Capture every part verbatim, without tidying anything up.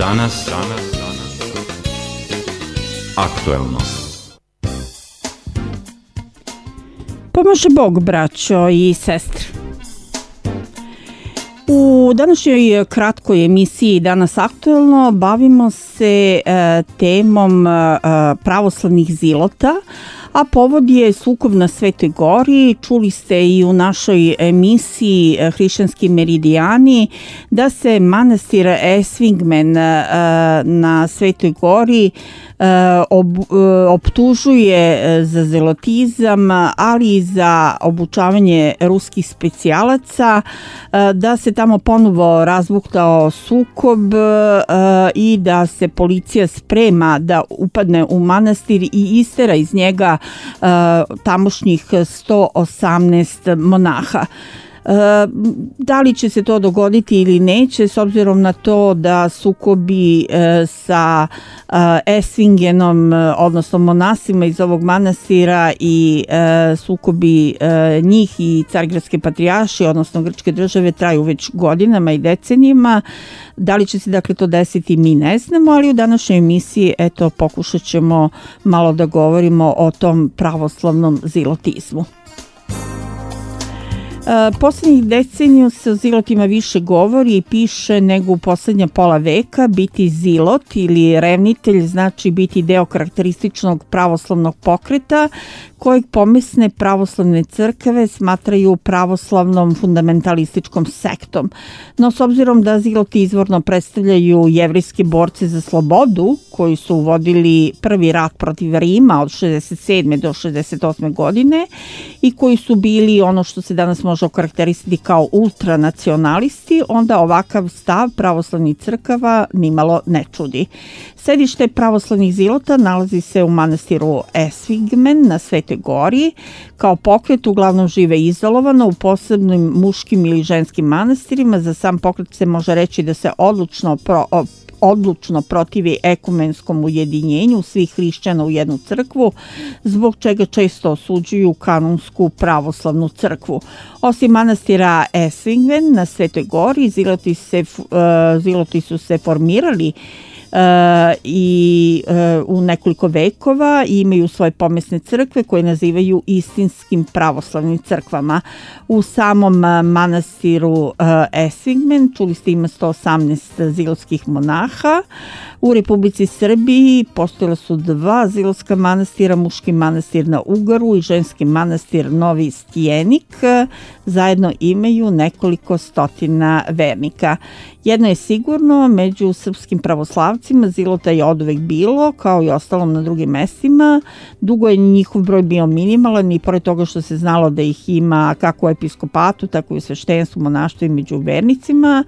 Danas, danas, aktuelno. Pomaže Bog, braćo i sestre. U današnjoj kratkoj emisiji Danas aktuelno bavimo se e, temom e, pravoslavnih zilota, a povod je sukob na Svetoj Gori. Čuli ste i u našoj emisiji Hrišćanski meridijani da se manastir Esvingmen na Svetoj Gori optužuje za zelotizam, ali i za obučavanje ruskih specijalaca, da se tamo ponovo razbuktao sukob i da se policija sprema da upadne u manastir i istera iz njega tamošnjih sto osamnaest monaha. Da li će se to dogoditi ili neće, s obzirom na to da sukobi sa Esvingenom, odnosno monasima iz ovog manastira, i sukobi njih i Carigradske patrijaršije, odnosno grčke države, traju već godinama i decenijima. Da li će se dakle to desiti, mi ne znamo, ali u današnjoj emisiji eto pokušat ćemo malo da govorimo o tom pravoslavnom zilotizmu. Poslednjih deceniju se o zilotima više govori i piše nego u poslednja pola veka. Biti zilot ili revnitelj znači biti deo karakterističnog pravoslavnog pokreta kojeg pomesne pravoslavne crkve smatraju pravoslavnom fundamentalističkom sektom. No, s obzirom da ziloti izvorno predstavljaju jevrijske borce za slobodu koji su vodili prvi rat protiv Rima od šezdeset sedme do šezdeset osme godine i koji su bili ono što se danas može okarakterisati kao ultranacionalisti, onda ovakav stav pravoslavnih crkava nimalo ne čudi. Sedište pravoslavnih zilota nalazi se u manastiru Esvingmen na Svetoj Gori. Kao pokret uglavnom žive izolovano u posebnim muškim ili ženskim manastirima. Za sam pokret se može reći da se odlučno pro, odlučno protivi ekumenskom ujedinjenju svih hrišćana u jednu crkvu, zbog čega često osuđuju kanonsku pravoslavnu crkvu. Osim manastira Esvingmen na Svetoj Gori, ziloti, se, ziloti su se formirali Uh, i uh, u nekoliko vekova i imaju svoje pomesne crkve koje nazivaju istinskim pravoslavnim crkvama. U samom uh, manastiru uh, Esvingmen, čuli ste, ima sto osamnaest zilotskih monaha. U Republici Srbiji postojala su dva zilotska manastira, muški manastir na Ugaru i ženski manastir Novi Stijenik. Zajedno imaju nekoliko stotina vernika. Jedno je sigurno, među srpskim pravoslavcima zilota je oduvek bilo, kao i ostalom na drugim mestima. Dugo je njihov broj bio minimalan i pored toga što se znalo da ih ima kako u episkopatu, tako i u sveštenstvu, monaštvu i među vernicima,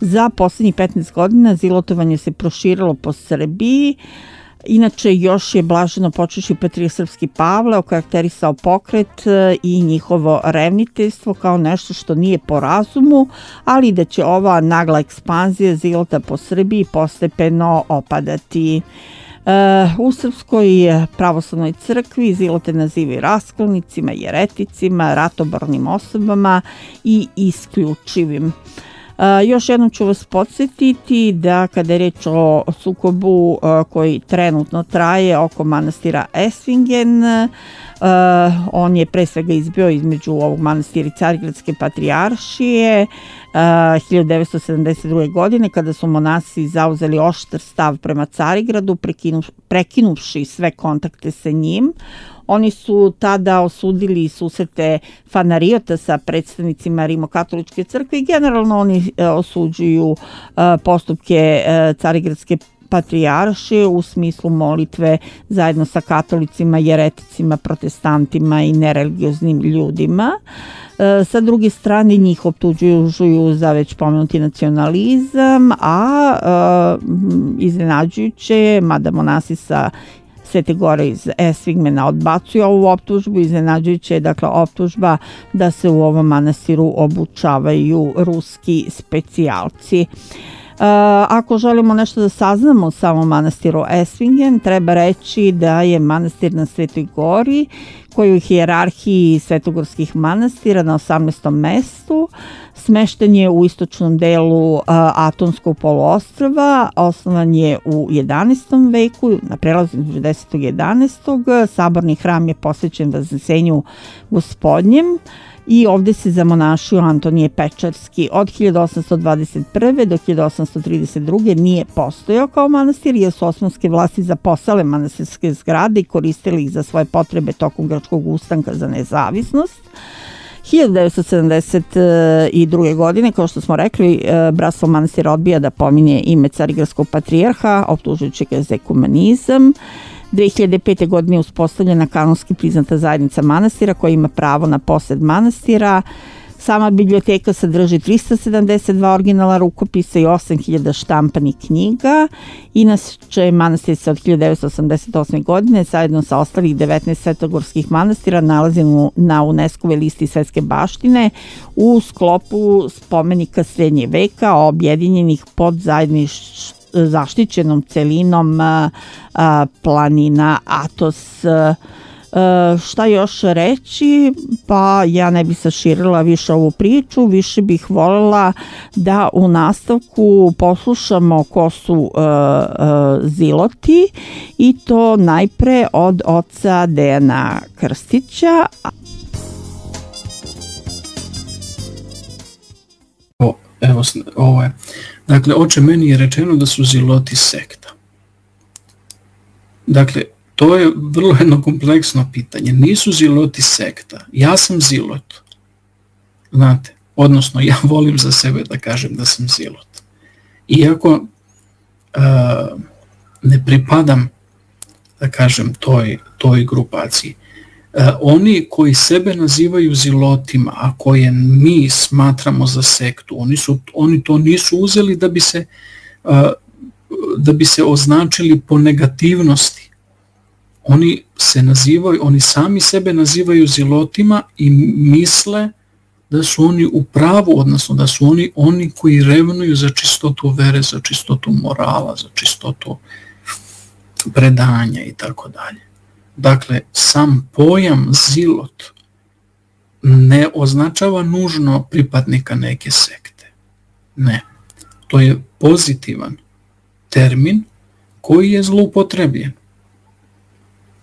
za poslednjih petnaest godina zilotovanje se proširilo po Srbiji. Inače, još je blaženo počeši patrijarh srpski Pavle okarakterisao pokret i njihovo revniteljstvo kao nešto što nije po razumu, ali da će ova nagla ekspanzija zilota po Srbiji postepeno opadati. U Srpskoj pravoslavnoj crkvi zilote nazivaju raskolnicima, jereticima, ratobornim osobama i isključivim. Uh, još jednom ću vas podsjetiti da kada je reč o sukobu uh, koji trenutno traje oko manastira Esvingen, uh, on je pre svega izbio između ovog manastira i Carigradske patrijaršije uh, hiljadu devetsto sedamdeset druge godine, kada su monasi zauzeli oštar stav prema Carigradu, prekinu, prekinuvši sve kontakte sa njim. Oni su tada osudili susrete Fanarijota sa predstavnicima Rimokatoličke crkve i generalno oni osuđuju postupke Carigradske patrijaršije u smislu molitve zajedno sa katolicima, jereticima, protestantima i nereligioznim ljudima. Sa druge strane njih optužuju za već pomenuti nacionalizam, a iznenađujuće je, mada monasi sa Svete Gore iz Esvingmena odbacuju ovu optužbu, iznenađujuće je dakle optužba da se u ovom manastiru obučavaju ruski specijalci. Uh, ako želimo nešto da saznamo o samom manastiru Esvingen, treba reći da je manastir na Svetoj Gori, koji u hijerarhiji svetogorskih manastira na osamnaestom mestu, Smešten je u istočnom delu Atonskog poluostrva, osnovan je u jedanaestom veku, na prelazu između desetog i jedanaestog. Saborni hram je posvećen Vaznesenju Gospodnjem i ovde se zamonašio Antonije Pečarski. Od hiljadu osamsto dvadeset prve do hiljadu osamsto trideset druge nije postojao kao manastir, jer su osmanske vlasti zaposale manastirske zgrade i koristili ih za svoje potrebe tokom grčkog ustanka za nezavisnost. hiljadu devetsto sedamdeset druge. godine, kao što smo rekli, bratstvo manastira odbija da pominje ime carigradskog patrijarha, optužujući ga za ekumenizam. dve hiljade pete. godine je uspostavljena kanonski priznata zajednica manastira koja ima pravo na posed manastira. Sama biblioteka sadrži trista sedamdeset dva originala rukopisa i osam hiljada štampanih knjiga. Inače, manastir se od hiljadu devetsto osamdeset osme. godine zajedno sa ostalih devetnaest svetogorskih manastira nalazi na UNESCO-ve listi svetske baštine u sklopu spomenika srednjeg veka objedinjenih pod zajedništvom zaštićenom celinom a, a, planina Atos. A, šta još reći? Pa ja ne bih saširila više ovu priču, više bih voljela da u nastavku poslušamo ko su a, a, Ziloti, i to najpre od oca Dejana Krstića. O, evo, ovo je. Dakle, oče, meni je rečeno da su Ziloti sekta. Dakle, to je vrlo jedno kompleksno pitanje. Nisu Ziloti sekta. Ja sam Zilot. Znate, odnosno ja volim za sebe da kažem da sam Zilot. Iako uh, ne pripadam, da kažem, toj, toj grupaciji. Uh, oni koji sebe nazivaju Zilotima, a koje mi smatramo za sektu, oni, su, oni to nisu uzeli da bi se, uh, da bi se označili po negativnosti. Oni se nazivaju, oni sami sebe nazivaju Zilotima i misle da su oni u pravu, odnosno da su oni oni koji revnuju za čistotu vere, za čistotu morala, za čistotu predanja i tako dalje. Dakle, sam pojam Zilot ne označava nužno pripadnika neke sekte. Ne. To je pozitivan termin koji je zloupotrebljen.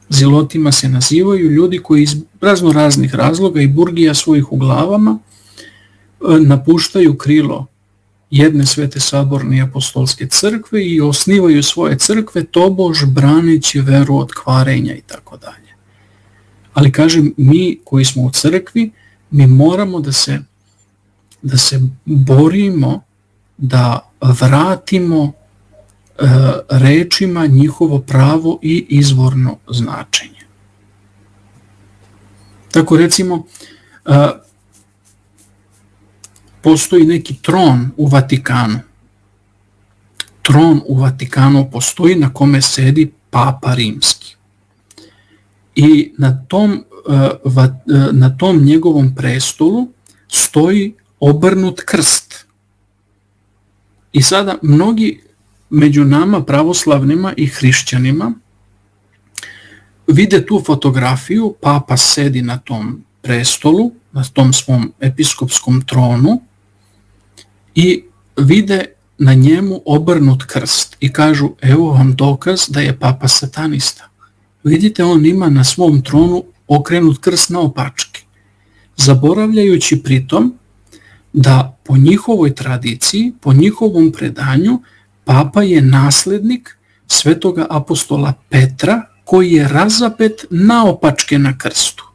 Zilotima se nazivaju ljudi koji iz razno raznih razloga i burgija svojih u glavama napuštaju krilo jedne svete saborne apostolske crkve i osnivaju svoje crkve tobož braneći veru od kvarenja i tako dalje. Ali kažem, mi koji smo u crkvi, mi moramo da se, da se borimo da vratimo e, rečima njihovo pravo i izvorno značenje. Tako recimo, e, postoji neki tron u Vatikanu. Tron u Vatikanu postoji na kome sedi Papa Rimski. I na tom, na tom njegovom prestolu stoji obrnut krst. I sada mnogi među nama pravoslavnima i hrišćanima vide tu fotografiju, Papa sedi na tom prestolu, na tom svom episkopskom tronu, i vide na njemu obrnut krst i kažu, evo vam dokaz da je Papa satanista. Vidite, on ima na svom tronu okrenut krst naopačke, zaboravljajući pritom da po njihovoj tradiciji, po njihovom predanju, Papa je naslednik svetoga apostola Petra, koji je razapet naopačke na krstu.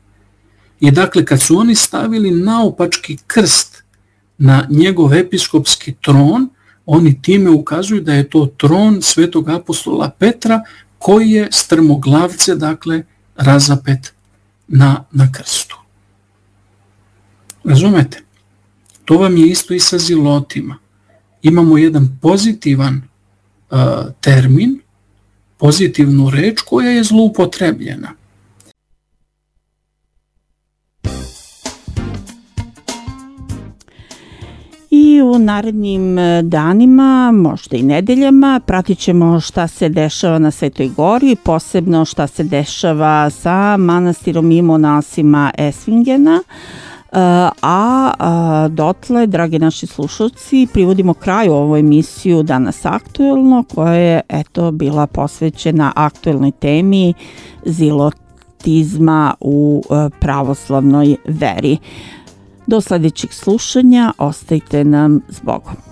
I dakle, kad su oni stavili naopački krst na njegov episkopski tron, oni time ukazuju da je to tron svetog apostola Petra, koji je strmoglavce, dakle, razapet na, na krstu. Razumete? To vam je isto i sa Zilotima. Imamo jedan pozitivan uh, termin, pozitivnu reč koja je zloupotrebljena. I u narednim danima, možda i nedeljama, pratit ćemo šta se dešava na Svetoj Gori, posebno šta se dešava sa manastirom i monasima Esvingena. a, a dotle, dragi naši slušalci, privodimo kraju ovu emisiju Danas aktuelno, koja je eto bila posvećena aktuelnoj temi zilotizma u pravoslavnoj veri. Do sljedećeg slušanja, ostajte nam s Bogom.